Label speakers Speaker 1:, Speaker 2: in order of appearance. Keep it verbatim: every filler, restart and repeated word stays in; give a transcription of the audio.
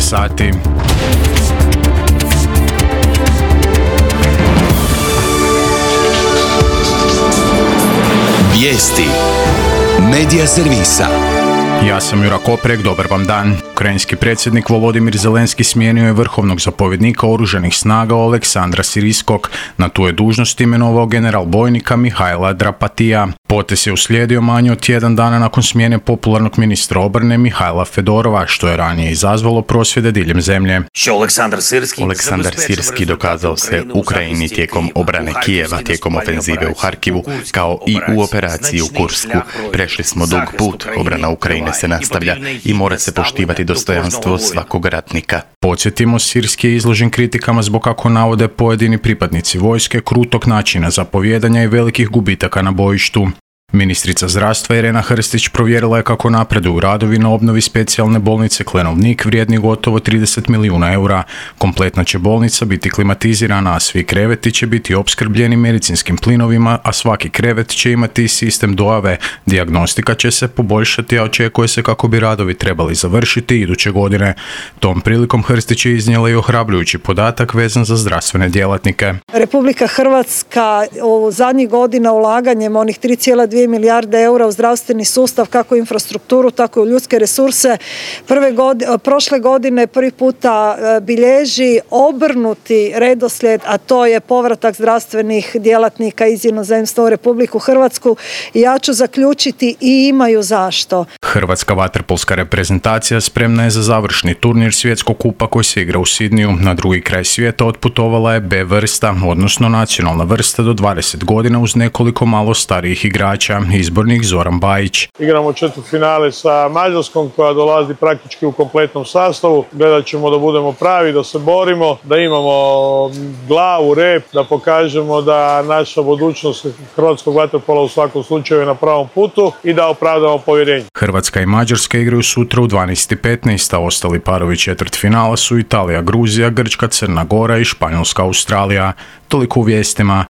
Speaker 1: sati.
Speaker 2: Vijesti Medija servisa.
Speaker 1: Ja sam Jura Koprek, dobar vam dan. Ukrajinski predsjednik Volodimir Zelenski smijenio je vrhovnog zapovjednika oružanih snaga Oleksandra Siriskog. Na tu je dužnost imenovao general bojnika Mihajla Drapatija. Potez je uslijedio manje od tjedan dana nakon smjene popularnog ministra obrane Mihajla Fedorova, što je ranije izazvalo prosvjede diljem zemlje.
Speaker 3: Oleksandar Sirski dokazao se Ukrajini tijekom obrane Kijeva, tijekom ofenzive u Harkivu, kao i u operaciji u Kursku. Prešli smo dug put, obrana Ukrajine se nastavlja i mora se poštivati dostojanstvo svakog ratnika.
Speaker 1: Podsjetimo, Sirski je izložen kritikama zbog, kako navode pojedini pripadnici vojske, krutog načina zapovijedanja i velikih gubitaka na bojištu. Ministrica zdravstva Irena Hrstić provjerila je kako napreduju radovi na obnovi specijalne bolnice Klenovnik vrijedni gotovo trideset milijuna eura. Kompletna će bolnica biti klimatizirana, a svi kreveti će biti opskrbljeni medicinskim plinovima, a svaki krevet će imati sistem dojave. Dijagnostika će se poboljšati, a očekuje se kako bi radovi trebali završiti iduće godine. Tom prilikom Hrstić je iznijela i ohrabrujući podatak vezan za zdravstvene djelatnike.
Speaker 4: Republika Hrvatska u zadnjih godina ulaganjem onih tri zarez dvije milijarde eura u zdravstveni sustav, kako u infrastrukturu, tako i u ljudske resurse, prve godine, prošle godine prvi puta bilježi obrnuti redoslijed, a to je povratak zdravstvenih djelatnika iz inozemstva u Republiku Hrvatsku. I ja ću zaključiti, i imaju zašto.
Speaker 1: Hrvatska vaterpolska reprezentacija spremna je za završni turnir svjetskog kupa koji se igra u Sidniju. Na drugi kraj svijeta otputovala je B vrsta, odnosno nacionalna vrsta do dvadeset godina uz nekoliko malo starijih igrača. Izbornik Zoran Bajić.
Speaker 5: Igramo četvrtfinale sa Mađarskom koja dolazi praktički u kompletnom sastavu. Gledat ćemo da budemo pravi, da se borimo, da imamo glavu, rep, da pokažemo da naša budućnost hrvatskog vaterpola u svakom slučaju je na pravom putu i da opravdamo povjerenje.
Speaker 1: Hrvatska i Mađarska igraju sutra u dvanaest i petnaest, a ostali parovi četvrtfinala su Italija, Gruzija, Grčka, Crna Gora i Španjolska, Australija. Toliko u vijestima.